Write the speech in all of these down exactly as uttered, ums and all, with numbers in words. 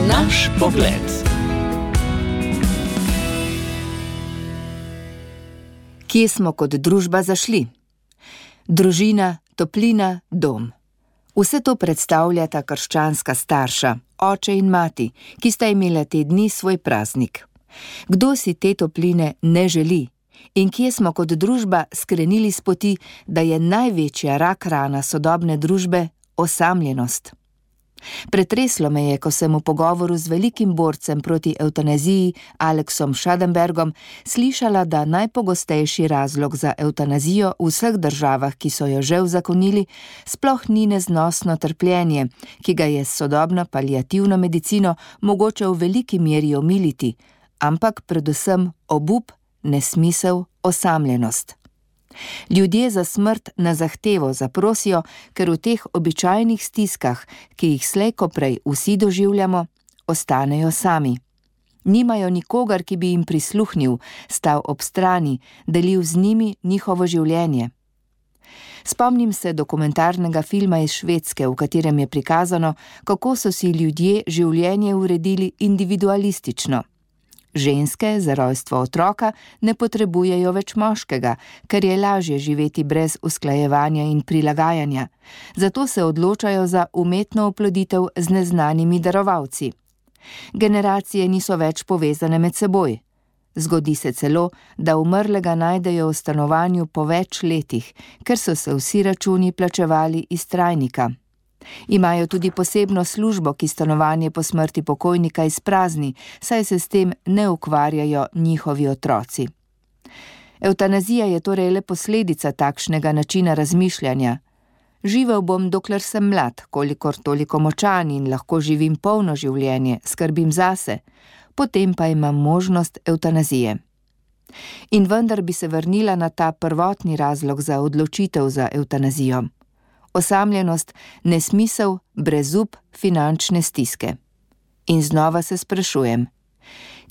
Naš pogled. Kje smo kot družba zašli? Družina, toplina, dom. Vse to predstavljata krščanska starša, oče in mati, ki sta imela te dni svoj praznik. Kdo si te topline ne želi? In kje smo kot družba skrenili s poti, da je največja rak rana sodobne družbe osamljenost? Pretreslo me je, ko sem v pogovoru z velikim borcem proti evtanaziji Aleksom Schadenbergom slišala, da najpogostejši razlog za evtanazijo v vseh državah, ki so jo že uzakonili, sploh ni neznosno trpljenje, ki ga je s sodobno paliativno medicino mogoče v veliki meri omiliti, ampak predvsem obup, nesmisel, osamljenost. Ljudje za smrt na zahtevo zaprosijo, ker v teh običajnih stiskah, ki jih slej ko prej vsi doživljamo, ostanejo sami. Nimajo nikogar, ki bi jim prisluhnil, stal ob strani, delil z njimi njihovo življenje. Spomnim se dokumentarnega filma iz Švedske, v katerem je prikazano, kako so si ljudje življenje uredili individualistično. Ženske za rojstvo otroka ne potrebujejo več moškega, ker je lažje živeti brez usklajevanja in prilagajanja. Zato se odločajo za umetno oploditev z neznanimi darovalci. Generacije niso več povezane med seboj. Zgodi se celo, da umrlega najdejo v stanovanju po več letih, ker so se vsi računi plačevali iz trajnika. Imajo tudi posebno službo, ki stanovanje po smrti pokojnika izprazni, saj se s tem ne ukvarjajo njihovi otroci. Evtanazija je torej le posledica takšnega načina razmišljanja. Živel bom, dokler sem mlad, kolikor toliko močan in lahko živim polno življenje, skrbim zase, potem pa imam možnost evtanazije. In vendar bi se vrnila na ta prvotni razlog za odločitev za evtanazijo. Osamljenost, nesmisel, brezup, finančne stiske. In znova se sprašujem,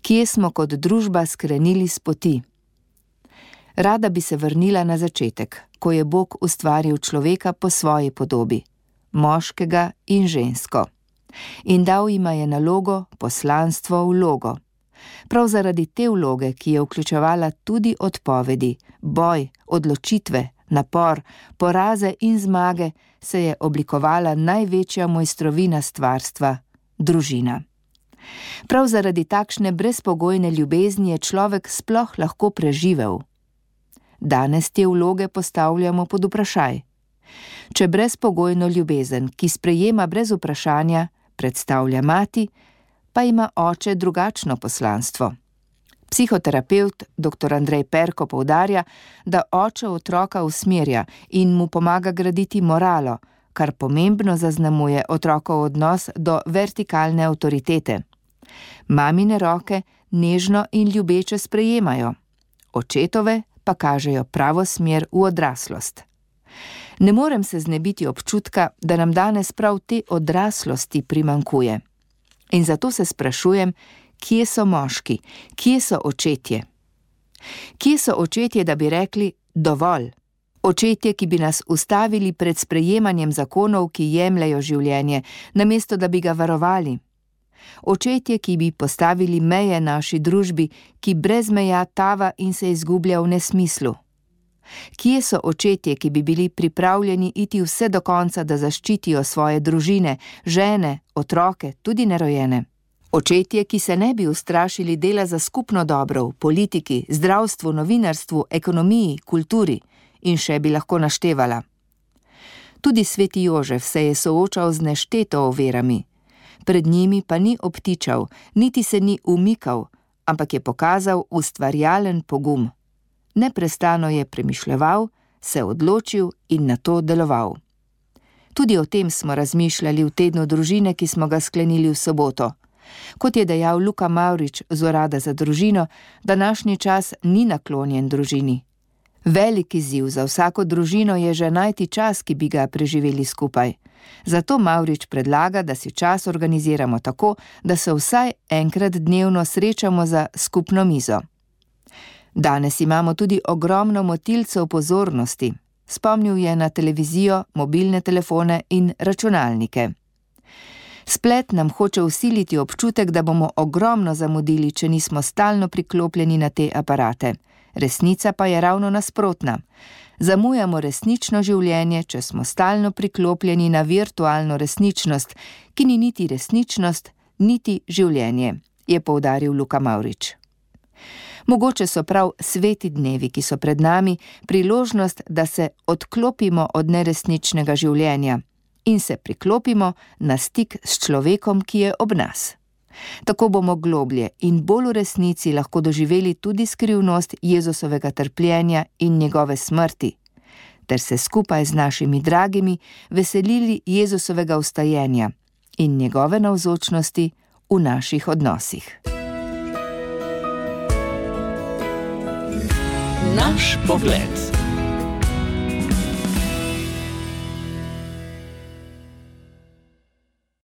kje smo kot družba skrenili s poti? Rada bi se vrnila na začetek, ko je Bog ustvaril človeka po svoji podobi, moškega in žensko. In dal jima je nalogo, poslanstvo, vlogo. Prav zaradi te vloge, ki je vključevala tudi odpovedi, boj, odločitve, napor, poraze in zmage, se je oblikovala največja mojstrovina stvarstva, družina. Prav zaradi takšne brezpogojne ljubezni je človek sploh lahko preživel. Danes te vloge postavljamo pod vprašaj. Če brezpogojno ljubezen, ki sprejema brez vprašanja, predstavlja mati, pa ima oče drugačno poslanstvo. Psihoterapevt doktor Andrej Perko poudarja, da oče otroka usmerja in mu pomaga graditi moralo, kar pomembno zaznamuje otrokov odnos do vertikalne avtoritete. Mamine roke nežno in ljubeče sprejemajo, očetove pa kažejo pravo smer v odraslost. Ne morem se znebiti občutka, da nam danes prav te odraslosti primanjkuje. In zato se sprašujem, kje so moški, kje so očetje? Kje so očetje, da bi rekli dovolj? Očetje, ki bi nas ustavili pred sprejemanjem zakonov, ki jemljejo življenje, namesto da bi ga varovali. Očetje, ki bi postavili meje naši družbi, ki brez meja tava in se izgublja v nesmislu. Kje so očetje, ki bi bili pripravljeni iti vse do konca, da zaščitijo svoje družine, žene, otroke, tudi nerojene? Očetje, ki se ne bi ustrašili dela za skupno dobro v politiki, zdravstvu, novinarstvu, ekonomiji, kulturi in še bi lahko naštevala. Tudi sveti Jožef se je soočal z nešteto ovirami. Pred njimi pa ni obtičal, niti se ni umikal, ampak je pokazal ustvarjalen pogum. Neprestano je premišljeval, se odločil in nato deloval. Tudi o tem smo razmišljali v tednu družine, ki smo ga sklenili v soboto. Kot je dejal Luka Mavrič z Urada za družino, današnji čas ni naklonjen družini. Velik izziv za vsako družino je že najti čas, ki bi ga preživeli skupaj. Zato Mavrič predlaga, da si čas organiziramo tako, da se vsaj enkrat dnevno srečamo za skupno mizo. Danes imamo tudi ogromno motilcev pozornosti. Spomnil je na televizijo, mobilne telefone in računalnike. Splet nam hoče vsiliti občutek, da bomo ogromno zamudili, če nismo stalno priklopljeni na te aparate. Resnica pa je ravno nasprotna. Zamujamo resnično življenje, če smo stalno priklopljeni na virtualno resničnost, ki ni niti resničnost, niti življenje, je poudaril Luka Mavrič. Mogoče so prav sveti dnevi, ki so pred nami, priložnost, da se odklopimo od neresničnega življenja in se priklopimo na stik s človekom, ki je ob nas. Tako bomo globlje in bolj v resnici lahko doživeli tudi skrivnost Jezusovega trpljenja in njegove smrti, ter se skupaj z našimi dragimi veselili Jezusovega vstajenja in njegove navzočnosti v naših odnosih. Naš pogled.